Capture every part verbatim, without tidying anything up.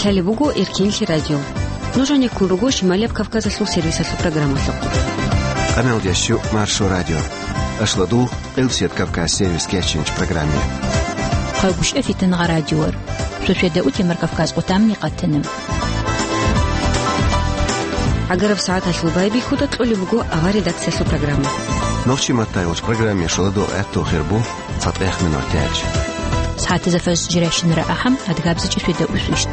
Лъалеб буго Эркинлъи радио. Нуж гьанеккун руго Шималияб Кавказалъул сервисалъул программалъухъ. Къамелдящу Маршо радио. Ашладул Къилсият Кавказ сервис кечинч программе. Хъайгуща фитангъа радиор. Сосведа утемар Кавказ къутамни къатана. ГӀагараб сагӀаталъул байбихьуда кьолеб буго авар редакциялъул программа. Нохчи маттайолч программе шоладо гӀатту хирбу. ЦатӀех минут тяч. СагӀатазда фаз жиращинара ахӀам, адгабзичӀи светда усвищт.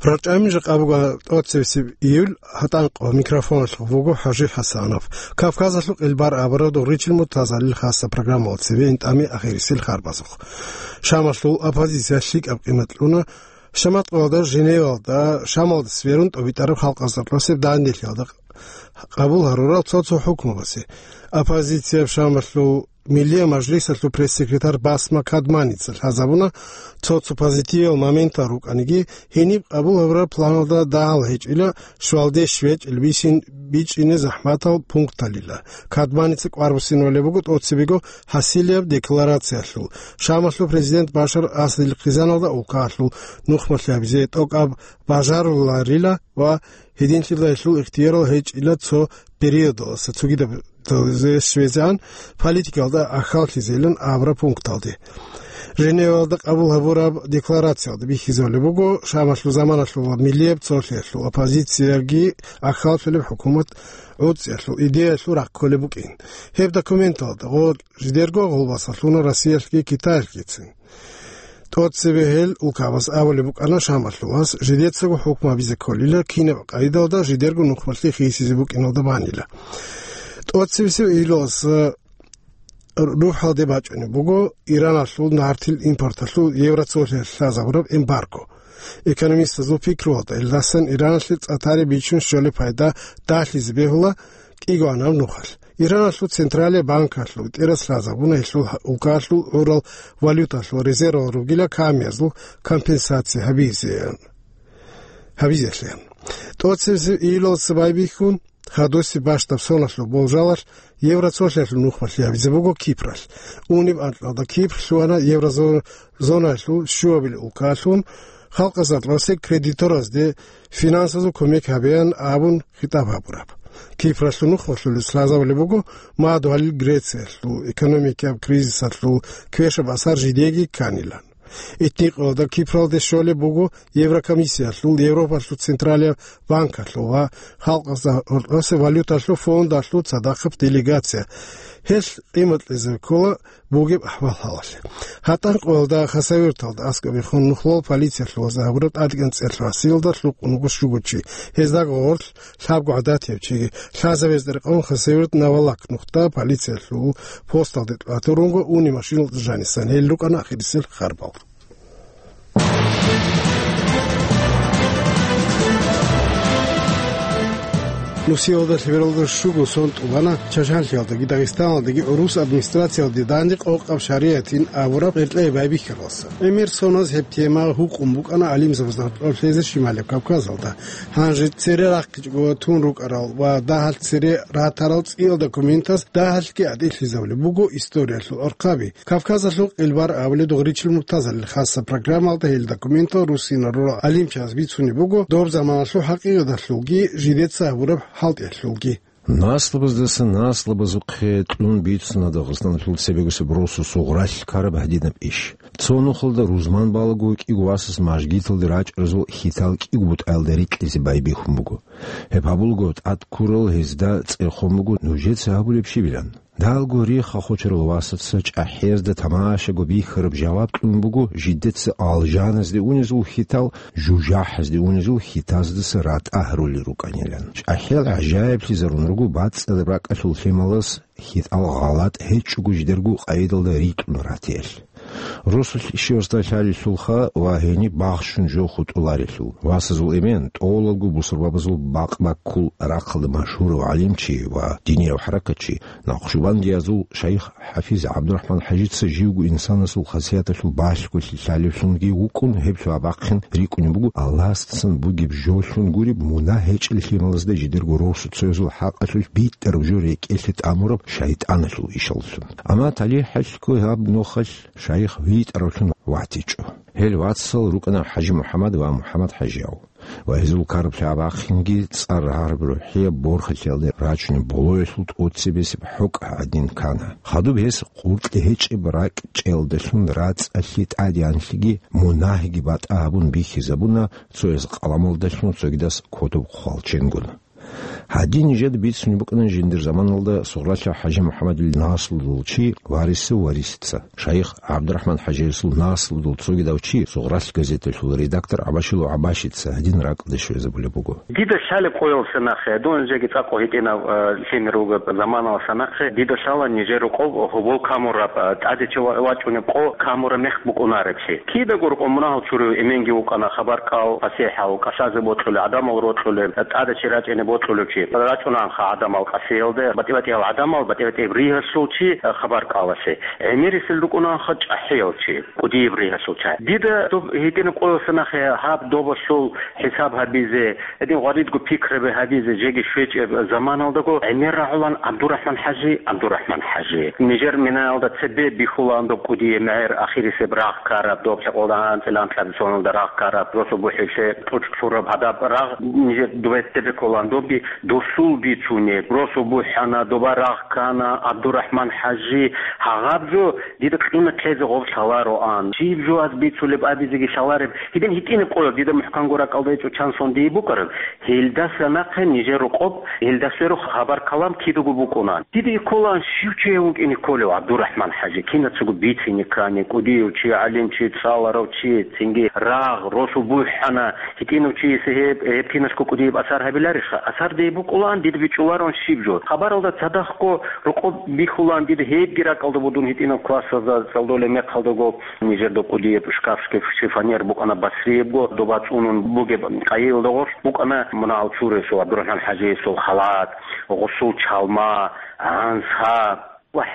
РачӀами жакъа буго тӀоцебесеб июль, гьатӀанкъо микрофоналъув вуго ХӀажи ХӀасанов. Кавказалъул къилбар абураб догъричил муртазалил хаса программалда цебе интӀами ахирисел харбазухъ. Шамалъул оппозиция лъикӀаб къимат кьуна, Шаматкъоялда, Женевалда, Шамалда сверун тӀобитӀараб халкъазда кьосеб данделъиялда къабул гьарурал цо-цо хӀукмабазе. Оппозицияб Шамалъул Миллияб мажлисалъул пресс-секретарь Басма Кадманица лъазабуна, цо-цо позитивал моментал рукӀаниги, гьениб къабул гьабураб планалда дагьал гьечӀила, щвалде щвечӀел бисин бичӀчӀине захӀматал пункталила. Кадманица кӀвар буссинавулеб буго тӀоцебего хӀасилияб декларациялъул, Шамалъул президент Башар Асадил хъизаналда улкаялъул нухмалъи гьабизе тӀокӀаб бажаруларила ва гьединлъидал гьелъул ихтиярал гьечӀила цо периодаласа цогидаб щвезегӀан политикалда ахьаллъизейилан абураб пункталде. Женевалда къабул гьабураб декларациялда бихьизабулеб буго, Шамалъул заманалъул ва миллияб цолъиялъул оппозицияги ахьаллъулеб хӀукумат гӀуцӀиялъул идеялъул рахъ кколеб букӀин. Гьеб документалда гъо-, жидерго гъолбаса лъуна Россиялъги Китаялъгицин. ТӀоцебе гьел улкабаз абулеб букӀана Шамалъувас жидецаго хӀукму гьабизе кколила, кинаб къайдалда жидерго нухмалъи хисизе букӀиналда банила. ТӀоцебесеб июлалъ рухӀалде бачӀунеб буго Ираналъул нартил импорталъул Евроцолъиялъ лъазабураб эмбарго. Экономистазул пикруялда, илдасан Ираналъе цӀа-тари бичун щолеб пайда дагьлъизе бегьула кӀигоанаб нухалъ. Ираналъул централияб банкалъул тӀерас лъазабуна гьелъул улкалъул гӀурал валюталъул резервал ругила камиязул компенсация гьабизе, гьабизелъе. ТӀоцебесеб июлалъ байбихьун, хадусеб бащдаб соналъул болжалалъ Евроцолъиялъул нухмалъи гьабизе буго Кипралъ. Унеб анкьалда Кипр лъугьана еврозонаялъул щуабилеб улкалъун, халкъазда кьосе кредиторазде финансазул кумек гьабеян абун хитӀаб гьабураб. Кипралъул нухмалъулес лъазабулеб буго мадугьалил Грециялъул экономикияб кризисалъул квешаб асар жидеги кканилан. Итникъоялда Кипралде щолеб буго Еврокомиссиялъул, Европалъул централияб банкалъул ва халкъазда гьоркьосе валюталъул фондалъул цадахъаб делегация. Гьелъ къимат кьезе ккола бугеб ахӀвал-хӀалалъе. ГьатӀанкъоялда Хасавюрталда аскӀобехун нухлал полициялъул вазагьабураб тӀадегӀан цӀерлъи гьасиялда лъукъун вуго щуго чи. Гьездаго гъорлъ лъабго гӀадатияб чиги. Лъазабезда рекъон Хасавюрт Навалак нухда полициялъул посталде тӀатурунго уни машиналда жанисан. Гьел рукӀана ахирисел харбал. Нусиялда лъебералда щуго сон тӀубана Чачанлъиялдаги Дагъистаналдаги гӀурус администрациялде данде къокъаб шариатин абураб гӀеркьей байбихьаралса. ГӀемер соназ гьеб тема гьукъун букӀана гӀалимзабазда гьоркьоб лъезе Шималияб Кавказалда. Гьанже цере рахъичӀого тун рукӀарал ва дагьалъ цере ратарал цӀиял документаз дагьалъги гӀадиллъизабулеб буго историялъул архъаби. Кавказалъул къилбар абулеб догъричил муртазалил хасаб программалда гьел документал руссинал рурал гӀалимчияс бицунеб буго доб заманалъул хӀакъикъаталъулги жидеца гьабураб хӀалтӀиялъулги. Наслабаздаса наслабазухъе кьун бицуна Дагъистаналъул цебегусеб росу сугъралъ ккараб гьадинаб иш. Цо нухалда рузман балаго кӀиго васас мажгиталде рачӀаразул хьитал кӀиго бутӀаялда рикьизе байбихьун буго. Гьеб гьабулго тӀад ккурал гьезда цӀехон буго нужеца гьабулеб щибилан. Далго рехха хочарал васаца чӀахӀиязда тамашаго бихьараб жаваб кьун буго жидеца алжаназде унезул хьитал, жужахӀазде унезул хьитаздаса ратӀа гьарули рукӀанилан. ЧӀахӀиял гӀажаиблъизарун руго бацӀцӀадаб ракӀалъул лъималас хьитал гъалатӀ гьечӀого жидерго къайдалда рикьун ратиялъ. Росулъ щивасда лъалелъулха ва гьениб бахщун жо хутӀуларелъул. Васазул эмен, тӀолалго бусурбабазул бакъ-баккул рахъалда машгьурав гӀалимчи ва динияв хӀаракатчи, накъшубандиязул шайх ХӀафиз ГӀабдурахӀман ХӀажица живго инсанасул хасияталъул балъголъи лъалевлъунги вукӀун, гьеб лъугьа-бахъин рикӀкӀунеб буго Аллагьасдасан бугеб жоллъун гуреб мунагь гьечӀел лъималазда жидерго росу цоязул хӀакъалъулъ битӀараб жо рекӀелъе тӀамураб шайтӀаналъул ишаллъун. Амма талихӀалъго гьаб нухалъ шайх витӀаравлъун ватичӀо. Гьел вацал рукӀана ХӀажимухӀаммад ва МухӀаммад-хӀажияв. Ва гьезул караблъи абахъинги цӀар рагьараб рухӀияб борхалъиялде рачунеб болоялъул тӀоцебесеб хӀукӀ гӀадин ккана. Хадуб гьес къуркьи гьечӀеб ракӀчӀелдалъун рацӀцӀалъи тӀадегӀанлъиги мунагьиги батӀа гьабун бихьизабуна, цояс къаламалдалъун, цогидас кодоб хвалченгун. Гьадин нижеда бицунеб букӀана жиндир заманалда Сугъралъа ХӀажимухӀаммадил наслудул чи Варисов Варисица, шайх ГӀабдурахӀман ХӀажиясул наслудул цогидав чи, Сугъралъ газеталъул редактор ГӀабашилов ГӀабашица гьадин ракӀалде щвезабулеб буго. Дида лъалеб къоялъа нахъе, дун жеги цӀакъго гьитӀинав, э, лъимер вугеб заманалъа нахъе, дида лъала нижер рокъоб гьобол камураб, э, тӀаде чи ва-, вачӀунеб къо камураб мех букӀунареб чи. Кидаго рокъоб мунагьал чурив эменги вукӀана, хабар кӀал, пасихӀал, кӀалъазе бокьулев, гӀадамал рокьулев, тӀаде чи рачӀине бокьулев чи. РачӀунанха гӀадамал къасиялде, батӀи-батӀиял гӀадамал, батӀи-батӀияб ригьалъул чи, э, хабар кӀалалъе. ГӀемерисел рукӀунанха чӀахӀиял чи, кӀудияб ригьалъул чи. Дида доб гьитӀинаб къоялъа нахъе гьаб добалъул хӀисаб гьабизе, гьедин гъваридго пикраби гьабизе жеги щвечӀеб заманалдаго гӀемер рагӀулан ГӀабдурахӀман-хӀажи, ГӀабдурахӀман-хӀажи. Нижер минаялда цебе бихьулаан доб кӀудияб мегӀер, ахирисеб рагъ ккараб, доб лъикъоялда анцӀила анкьабилеб соналда рагъ ккараб, росу бухӀиблъи тӀучӀ лъураб гьадаб рагъ нижер дубетте беккулаан добги досул бицунеб. Росу бухӀана, доба рагъ ккана, ГӀабдурахӀман-хӀажи, гьагъаб жо дида кьуна ккезе гъоб лъалароан. Щиб жо аз бицулеб абизеги лъалареб. Гьедин гьитӀинаб къоялъ дида мухӀканго ракӀалда гьечӀо чан сон дие букӀараб. Гьелдаса нахъе нижер рокъоб, гьелдасверухъ хабар-калам кидаго букӀунаан. Дида кколаан щив чи гьев вукӀине кколев ГӀабдурахӀман-хӀажи, кинацаго бицине ккани, кӀудияв чи, гӀалимчи, цӀаларав чи, цинги рагъ, росу бухӀана, гьитӀинав чиясе гьеб, гьеб киналъго кӀудияб асар гьабиларищха? Асар дие букӀулаан, дида бичӀчӀулароан щиб жо. Хабаралда цадахъго рокъоб бихьулаан дида гьебги ракӀалда буго дун гьитӀинаб классазда цӀалдолеб мехалдаго. Нижерда кӀудияб шкаф, шифоньер букӀана Басриябго, доба цӀунун бугеб къайиялда гъорлъ букӀана мунагьал чуресул, ГӀабдурахӀман-хӀажиясул халат, гъусул чалма, гӀанса. Вагь,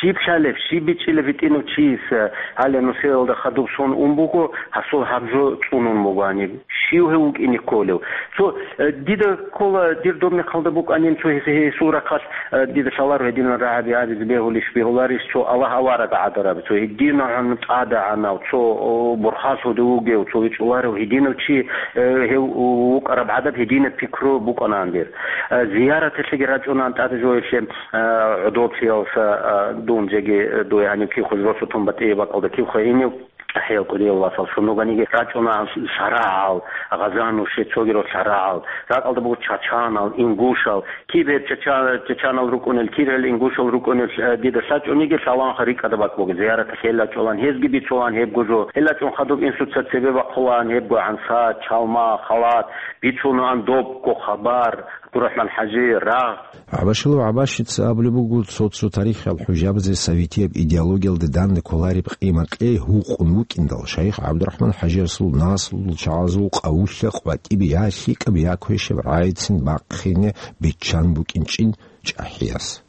щиб лъалеб, щиб бичӀчӀилеб гьитӀинав чияс, гьале нусиялда хадуб сон ун буго, гьасул гьаб жо цӀунун буго гьаниб. Щив гьев вукӀине кколев? Цо, э, дида ккола, дир доб мехалда букӀанин цо гьес-, гьесул рахъалъ, э, дида лъаларо гьединал рагӀаби абизе бегьулищ, бегьуларищ, цо Аллагь авараг гӀадараб, цо гьединагӀан тӀадегӀанав, цо, о, борхалъуде вугев, цо вичӀчӀуларев гьединав чи, э, гьев вукӀараб гӀадаб гьединаб пикру букӀанаан дир. Э, зияраталъеги рачӀунаан тӀаде жоялъе, э, гӀодоблъиялса, э, дун жеги, э, дуе гьанив кив хъуз росу тун батӀияб бакӀалда кив хъугьинив. АхӀиял кӀудиял васал шунуганиги рачӀунаан шарагӀал, гъазанущий цогидал шарагӀал, ракӀалда буго чачанал, ингушал, киб гьеб чача-, чачанал рукӀунел, киб гьел ингушал рукӀунел, э, дида лъачӀониги лъалаанха рикӀкӀада бакӀ буго, зияраталъе лъачӀолаан, гьезги бицулаан гьебго жо. Гьел лъачӀун хадуб инсуца цебе бахъулаан гьебго гӀанса, чалма, халат, бицунаан добго хабар, ГӀабдурахӀман-хӀажи, рагъ. ГӀабашилов ГӀабашица абулеб буго, цо-цо тарихиял хӀужабазе советияб идеологиялда данде кколареб къимат-кьей гьукъун вукӀиндал, шайх ГӀабдурахӀман-хӀажиясул наслудул чагӀазул къавулъа къватӀибе я лъикӀаб, я квешаб рагӀицин бахъине биччан букӀинчӀин чӀахӀияс.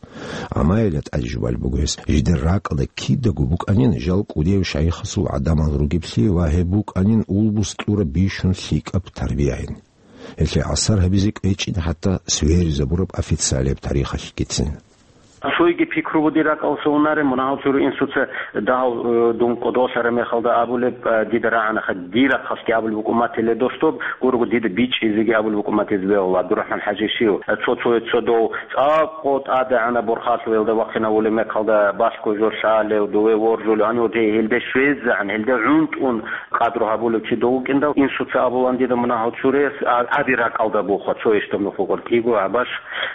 Амма гьелда тӀаде жубалеб буго гьес, жидер ракӀалда кидаго букӀанин жал кӀудияв шайихасул гӀадамал ругеблъи ва гьеб букӀанин улбус кьураб бищун лъикӀаб тарбияйин. Гьелъие асар гьабизе кӀвечӀин хӀатта сверизабураб официалияб тарихалъгицин. Цойги пикру буго дир ракӀалъуса унареб, мунагьал чуру инсуца дагьав, э, дун кӀодолъараб мехалда абулеб, э, дида рагӀанаха, дир рахъалъги абулеб букӀун матиле дос доб, гурого дида бичӀчӀизеги абулеб букӀун матизе бегьула, ГӀабдурахӀман-хӀажи щив, э, цо-цо цо дов цӀакъго тӀадегӀанаб борхалъуялда вахъинавулеб мехалда балъго жо лъалев, дове воржулев, гьанив гьелде щвезегӀан, гьелде гӀунтӀун, къадру гьабулев чи дов вукӀиндал, инсуца абулаан дида мунагьал чурес, а, гьади ракӀалда буха, цо ишдав нух вукӀар кӀиго, гӀабаш,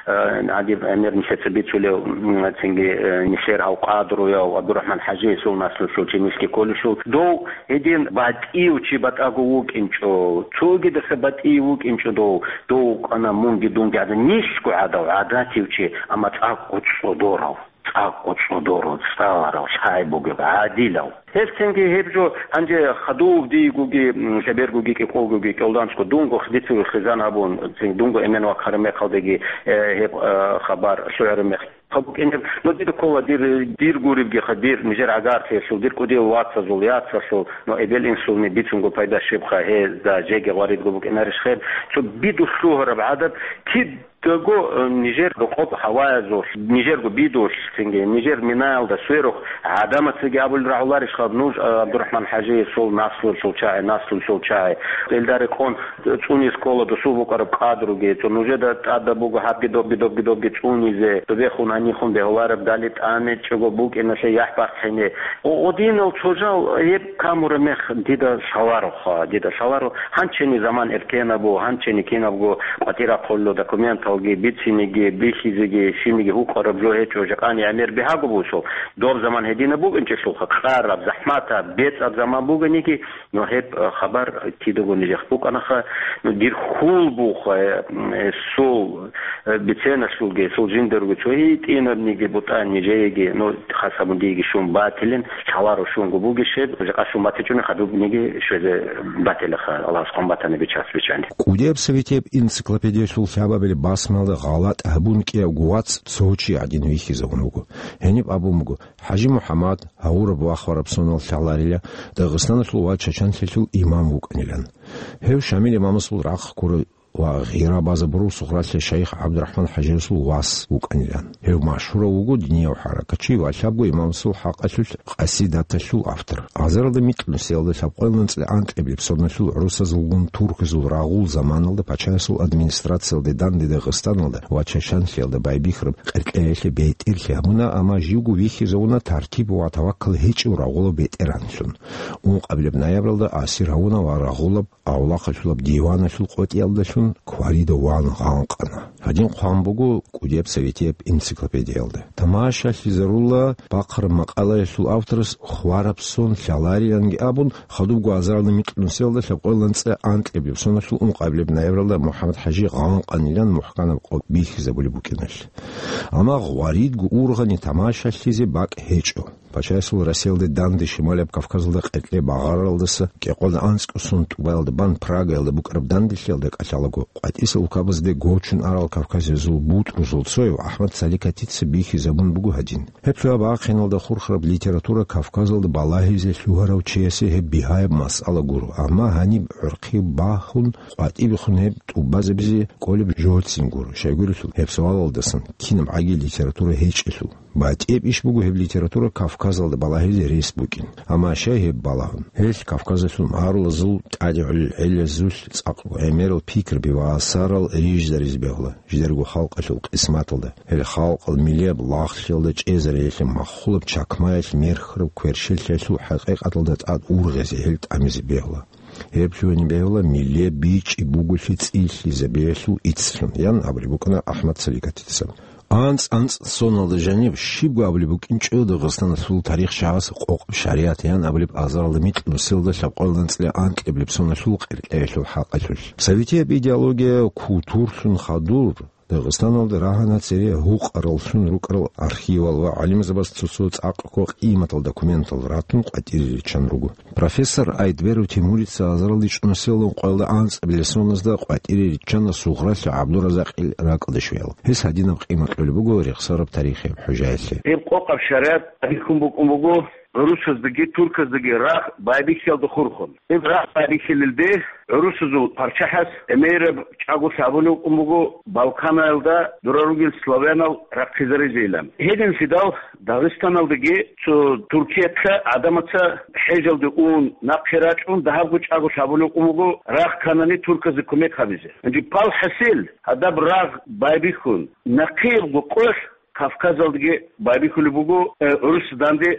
э, гьадиб гӀемер нилъеца бицулев, м, цинги, э, нилъер гьав къадруяв ГӀабдурахӀман-хӀажи, гьесул наслулъул чи нилъги кколелъул, дов гьедин батӀияв чи батӀаго вукӀинчӀо, цогидаса батӀияв вукӀинчӀо дов, дов вукӀана мунги дунги гӀадан, нилъго гӀадав, гӀадатив чи, амма цӀакъго цӀодорав. ЦӀакъго цӀодорав, цӀаларав, лъай бугев, гӀадилав. Гьелъцинги гьеб жо гьанже хадув дийгоги, м, лъебергоги, кӀикъолгоги, кӀолдамцӀго дунго хидицеве хизан гьабун, цин дунго эмен вахъараб мехалдаги, э, гьеб, э, хабар лъугӀараб мех гьаб букӀинеб. Но дида ккола дир, дир гуребгиха, дир нижер гӀагарлъиялъул, дир кӀудиял вацазул, яцалъул, но эбел-инсулни бицунго пайда щибха, гьезда жеги гъваридго букӀинарищ хеб. Цо бидулъ лъугьараб гӀадаб киб Кого, э, нижер рокъоб гьаваязулъ, нижерго бидулъ, цинги нижер минаялда сверухъ гӀадамацаги абулел рагӀуларищха нуж, э, ГӀабдурахӀман-хӀажиясул наслуялъул чагӀи, наслуялъул чагӀи? Элда рекъон цӀунизе ккола досул букӀараб къадруги, цо нужеда тӀадаб буго гьабги добги, добги, добги цӀунизе, цо бехун гьанихун бегьулареб дали тӀамечӀого букӀиналъе яхӀ бахъине. О, гъодинал цо жал гьеб камураб мех дида лъалароха, дида лъаларо, гьанчени заман эркенаб буго, гьанчени кинабго къватӀир ахъулел документалги, бицинеги, бихьизеги, щибниги гьукъараб жо гьечӀо, жакъани гӀемер бигьаго бусул. Доб заман гьединаб букӀинчӀелъулха, къараб, захӀматаб, бецӀаб заман бугониги, но гьеб, э, хабар кидаго нижехъ букӀанаха, но дир хьул буха, э, м, э, сул, э, биценалъулги, сул жиндаруги цо гьитӀинабниги бутӀа нижееги, но хас гьабун диеги щун батилин, лъаларо щунго бугищ гьеб, жакъа щун батичӀони хадубниги щвезе батилаха, Аллагьас хъван батани бичас бичӀани. КӀудияб советияб энциклопедиялъул лъабабилеб басмалда гъалатӀ гьабун кӀиябго вац цо чи гӀадин вихьизавун вуго. Гьениб абун буго, ХӀажи МухӀаммад, гьавураб ва хвараб сонал лъаларила, Дагъистаналъул ва Чачанлъиялъул имам вукӀанилан. Гьев Шамил имамасул рахъ ккурав ва гъира базабурав Сугъралъе шайх ГӀабдурахӀман-хӀажиясул вас вукӀанилан. Гьев машгьурав вуго динияв хӀаракатчи ва лъабго имамасул хӀакъалъулъ къасидаталъул автор. Азаралда микьнусиялда лъабкъоялда анцӀила анкьабилеб соналъул гӀурусазулгун турказул рагъул заманалда пачаясул администрациялде данде Дагъистаналда ва Чачанлъиялда байбихьараб къеркьеялъе бетӀерлъи гьабуна, амма живго вихьизавуна тартиб ва таваккал гьечӀев рагъулав бетӀергьанлъун. Ункъабилеб ноябралда асир гьавуна ва рагъулаб авлахъалъулаб диваналъул къотӀиялдалъун кварида ван гъанкъана. Гьадин хъван буго КӀудияб советияб энциклопедиялда. Тамашалъизарула бахъараб макъалаялъул авторас хвараб сон лъалариланги абун, хадубго азаралда микьнусиялда лъабкъоялда анцӀила анкьабилеб соналъул ункъабилеб ноябралда МухӀаммад-хӀажи гъанкъанилан мухӀканаб къо бихьизабулеб букӀиналъ. Амма гъваридго ургъани тамашалъизе бакӀ гьечӀо. Пачаясул Россиялде данде Шималияб Кавказалда къеркье багъаралдаса кӀикъоялда анцӀго сон тӀубаялда бан Прагаялда букӀараб данделъиялда кӀалъалаго, къватӀисел улкабазде гочун арал кавказазул бутӀрузул цояв АхӀмад Саликатица бихьизабун буго гьадин. Гьеб цояб бахъиналда хурхараб литература Кавказалда балагьизе лъугьарав чиясе гьеб бигьаяб масъала гуро, амма гьаниб гӀурхъи бахун, къватӀибехун гьеб тӀубазабизе кӀолеб жогьцин гуро, щайгурелъул гьеб суалалдасан кинаб гӀаги литература гьечӀелъул. БатӀияб иш буго гьеб литература Кавказалда балагьизе рес букӀин, амма щай гьеб балагьун? Гьелъ Кавказалъул марулазул тӀадегӀулел гӀелазулъ цӀакъго гӀемерал пикруби ва асарал рижизаризе бегьула жидерго халкъалъул къисматалда, гьел халкъал миллияб лагълъиялда чӀезариялъе маххулаб чакмаялъ мерхьараб кверщелъиялъул хӀакъикъаталда тӀад ургъезе гьел тӀамизе бегьула. Гьеб лъугьине бегьула миллияб бичӀчӀи буголъи цӀилъизабиялъул иццлъун, ян абулеб букӀана АхӀмад Саликатица. АнцӀ-анцӀ соналда жаниб щибго абулеб букӀинчӀо Дагъистаналъул тарихчагӀаз къокъаб шаригӀат ян абулеб азаралда микьнусиялда лъабкъоялда анцӀила анкьабилеб соналъул къеркьеялъул хӀакъалъулъ. Советияб идеология кутурлъун хадур Дагъистаналда рагьана цере гьукъараллъун рукӀарал архивал ва гӀалимзабаз цо-цо цӀакъго къиматал документал ратун къватӀире риччан руго. Профессор Айдберов Тимурица азаралда чӀунусиялда ункъоялда анцӀабилеб соназда къватӀире риччана Сугъралъа ГӀабдуразакъил ракӀалде щвеял. Гьес гьадинаб къимат кьолеб буго рехсараб тарихияб хӀужаялъе. Гьеб къокъаб шаригӀат бихьун букӀун буго гӀурусаздаги турказдаги рагъ байбихьиялда хурхун. Гьеб рагъ байбихьилелде гӀурусазул паччахӀас гӀемераб чӀаголъи гьабулеб букӀун буго Балканаялда дора ругел славянал рахъизаризейилан. Гьединлъидал Дагъистаналдаги цо Туркиялъа гӀадамаца хӀежалде ун, нахъе рачӀун дагьабго чӀаголъи гьабулеб букӀун буго рагъ кканани турказда кумек гьабизе. Гьанже пал хӀасил, гьадаб рагъ байбихьун, нахъеябго къоялъ Кавказалдаги байбихьулеб буго, э, гӀурусазда данде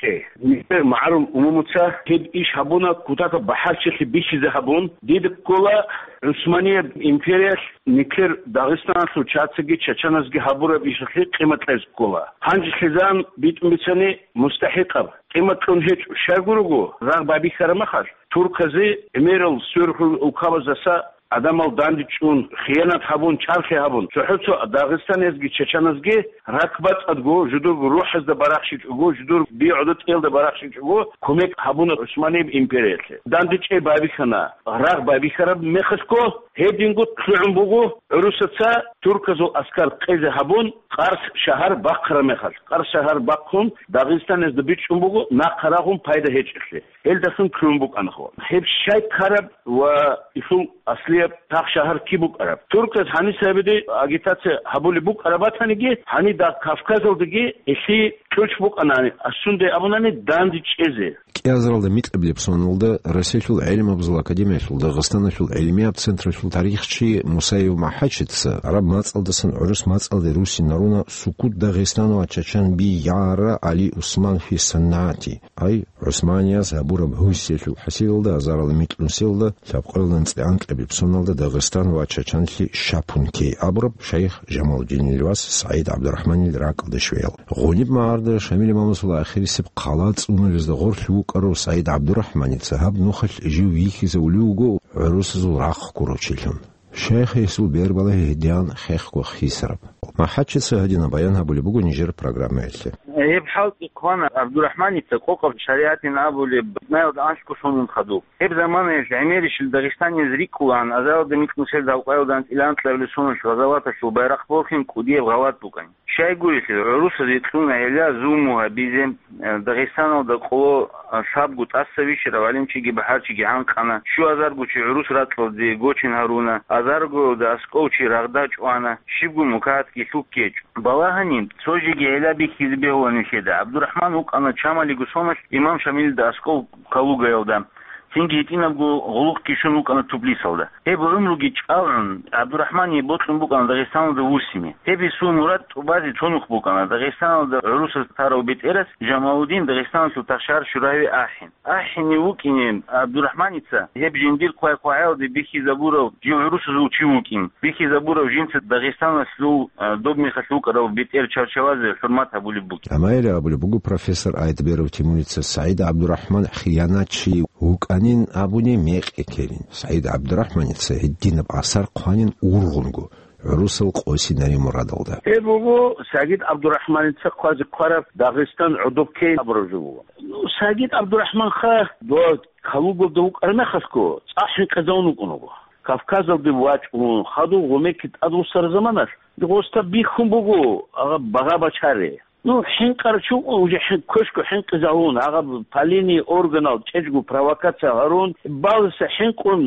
чӀей. Нилъер магӀарул умумуца гьеб иш гьабуна, кутакаб бахӀарчилъи бихьизе гьабун, дида ккола ГӀусманияб империялъ нилъер Дагъистаналъул чацаги чачаназги гьабураб ишалъе къимат кьезе ккола. Гьанже лъезан битӀун бицани мустахӀикъаб. Къимат кьун гьечӀо, щайгурого рагъ байбихьараб мехалъ, турказе гӀемерал сверухъ улкабаздаса гӀадамал дандечӀун, хиянат гьабун, чӀахӀлъи гьабун, цохӀо-цо дагъистаназги чачаназги ракӀбацӀцӀадго, жидерго рухӀазда барахщичӀого, жидер би-гӀодотӀиялда барахщичӀого кумек гьабуна ГӀусманияб империялъе. ДандечӀей байбихьана, рагъ байбихьараб мехалъго, гьединго лъугӀун буго гӀурусаца турказул аскар къезе гьабун, Къарс шагьар бахъараб мехалъ. Къарс шагьар бахъун, Дагъистаназда бичӀчӀун буго нахъа рагъун пайда гьечӀелъе. Гьелдасан ккун букӀана хо. Гьеб щай ккараб ва гьелъул аслияб гьеб тах шагьар киб букӀараб. Турказ гьаниса гьабиде агитация гьабулеб букӀараб батаниги, гьанида Кавказалдаги гьелъи кьучӀ букӀана, асунде абунани, данде чӀезе. КӀиазаралда микьабилеб соналда Россиялъул гӀелмабазул академиялъул Дагъистаналъул гӀилмияб централъул тарихчи Мусаев МахӀачица гӀараб мацӀалдасан гӀурус мацӀалде руссинаруна «Сукут Дагъистан ва Чачан би яра Али Усман фи санати», ай, ГӀусманияс гьабураб гьусиялъул хӀасилалда азарал микьнусиялда лъабкъоялда анцӀила анкьабилеб соналда Дагъистан ва Чачанлъи шапун кей абураб шайх Жамалудинил вас СагӀид ГӀабдурахӀманил ракӀалда щвеял. Гъуниб магӀарда Шамил имамасул ахирисеб хъала цӀунулезда гъорлъ вукӀарав СагӀид ГӀабдурахӀманица гьаб нухалъ жив вихьизавулев вуго гӀурусазул рахъ гурав чилъун. Шайх гьесул бербалагьи гьедигьан хехго хисараб. МахӀачица гьадинаб баян гьабулеб буго нижер программаялъе. Гьеб хӀалтӀи хъвана ГӀабдурахӀманица къокъаб шаригӀатин абулеб бутӀнаялда анлъго сонун хадуб. Гьеб заманаялъ гӀемерищил дагъистанияз рикӀкӀулаан азаралда микьнусел лъабкъоялда анцӀила анкьабилеб соналъ гъазаваталъул байрахъ борхин кӀудияб гъалатӀ букӀана. Щайгурелъул, гӀурусазе кьуна гьелда зулму гьабизе, э, Дагъистаналда къоло, э, лъабго тӀаса вищарав гӀалимчиги бахӀарчиги гӀанкъана, щуазарго чи гӀурус ракьалде гочин гьаруна, азаргоялда аскӀов чи рагъда чӀвана, щибго мукагьатги лъуккичӀо. Балагьани, цо жеги гьелда бихьизе бегьула нилъеда. ГӀабдурахӀман вукӀана Чамалиго соналъ имам Шамилида аскӀов Калугаялда. Цинги гьитӀинабго гъулухъги щун вукӀана Тублисалда. Гьеб гӀумруги чӀалгӀун, ГӀабдурахӀмание бокьун букӀана Дагъистаналда вуссине. Гьеб гьесул мурад тӀубазе цо нух букӀана, Дагъистаналда гӀурусаз тарав бетӀерас Жамалудин, Дагъистаналъул тахшар Шурави АхӀен. АхӀенив вукӀине ГӀабдурахӀманица гьеб жиндир хъвай-хъвагӀаялде бихьизабурав жив гӀурусазул чи вукӀин, бихьизабурав жинца Дагъистаналъул, а, доб мехалъ вукӀарав бетӀер чарчавазе хӀурмат гьабулеб бугин. Амма гьеле абулеб буго профессор Айдберов Тимурица, СагӀид ГӀабдурахӀман хиянатчи вукӀанин абуни мекъи ккелин. СагӀид ГӀабдурахӀманица гьединаб асар хъванин ургъунго, гӀурусал къосинари мурадалда. Гьеб буго СагӀид ГӀабдурахӀманица хъвазе хъвараб Дагъистан гӀодоб ккейин абураб жо буго. Ну, СагӀид ГӀабдурахӀманха дова Калугаялда вукӀараб мехалъго цӀакъ хӀинкъизавун вукӀун вуго. Кавказалде вачӀун, хадув гъумекки тӀадвуссараб заманалъ, гъосда бихьун буго, агъа, багъа бачаре. Ну, хӀинкъарав чи вукӀун, уже хӀин-, квешго хӀинкъизавун, агъаб, по линии органал чӀечӀго провокация гьарун, баласа хӀинкъун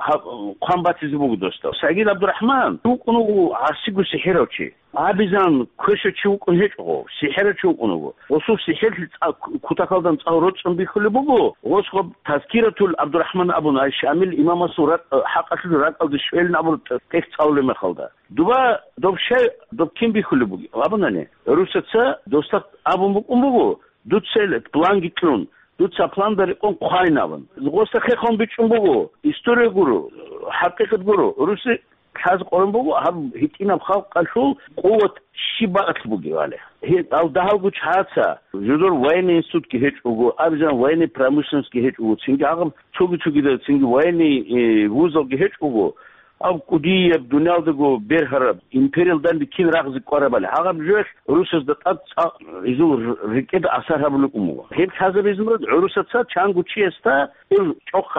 гьаб-, хъван батизе буго досда. СагӀид ГӀабдурахӀман вукӀун вуго гӀасиго сихӀирав чи. Абизан квешав чи вукӀун гьечӀого, сихӀирав чи вукӀун вуго. Гъосул сихӀирлъи цӀа-, кутакалдан цӀакъ рорцӀун бихьулеб буго, гъос гъаб Тазкиратул ГӀабдурахӀман абун, ай Шамил имамасул ракӀ-, хӀакъалъулъ ракӀалде щвелин абураб тӀехь цӀалулеб мехалда. Дуба доб щай, доб кин бихьулеб бугеб? Абунани, гӀурусаца досда абун букӀун буго, дуца ил планги кьун, дуца планда рекъон хъвайин абун. Гъосда хехун бичӀчӀун буго, история гуро, хӀакъикъат гуро, гӀуруси лъазе къорон буго, гьаб гьитӀинаб халкъалъул къуват щиб бакӀалъ бугебали. Гье, ал дагьалго чагӀаца, жодор военный институтги гьечӀого, абизан военный промышленностьги гьечӀого, цинги гьагъаб цоги-цогидал цинги военный, э, вузалги гьечӀого, Аб кӀудияб дуниялдаго бергьараб империялда данде кин рагъизе кӀварабали, гьагъаб жоялъ гӀурусазда тӀад цӀакъ гьезул р-, рекӀеда асар гьабулеб буго. Гьеб лъазабизе мурад гӀурусаца чанго чиясда, эв ЧӀохъ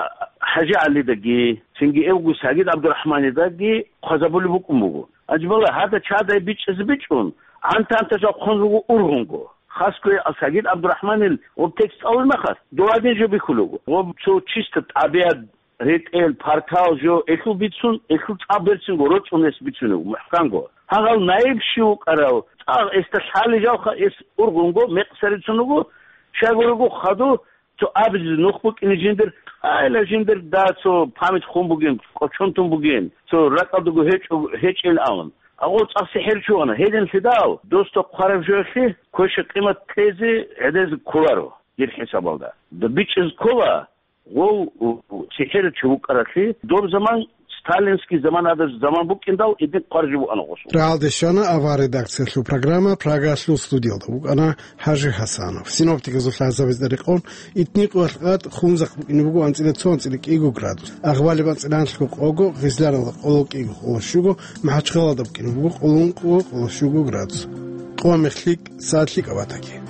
ХӀажигӀалидаги, цинги эвго Сагид ГӀабдурахӀманидаги хъвазабулеб букӀун буго. Анжубала гьада чадай бичӀчӀизе бичӀчӀун, гӀантанта жал хъун руго ургъунго. Хасго Сагид ГӀабдурахӀманил гъуб текст цӀалулеб мехалъ, дов гьадин жо бихьулего. Гъуб цо чисто тӀабигӀат ретӀел, партал жо, элъул бицун, элъул цӀа берцинго рорчӀун рес бицунев, мухӀканго. Гьагъал наиб щив вукӀарав, цӀакъ эсда лъали жалха эс ургъунго, мекъсарицун вуго, щайгурелъул хадув, цо абизе нух букӀине жиндир, къайла жиндир да цо память хун бугин, кӀочон тун бугин, цо ракӀалдаго гьечӀо-, гьечӀин абун. Агъор цӀакъ сихӀирчи вана, гьединлъидал, досда хъвараб жоялъе квеша къимат кьезе гӀедезе кколаро, дир хӀисабалда. ДубичӀиз ккола, Гъов, у, у, цихӀирав чи вукӀаралъе, доб заман, сталинский заман, гьадаб заман букӀиндал, гьедин хъваржи буана гъосул. Рагьалде щвана авар редакциялъул программа, Прагалъул студиялда вукӀана ХӀажи ХӀасанов. Синоптиказул лъазабазда рекъон, итни къоялъ къад хунзахъ букӀине буго анцӀила цо, анцӀила кӀиго градус. Агъбалиб анцӀила анлъго къого, Гъизланалда къоло кӀиго къоло щуго, МахӀачхъалалда букӀине буго къоло ункъго къоло щуго градус. Къо мехлъи сад лъикӀаб батаги.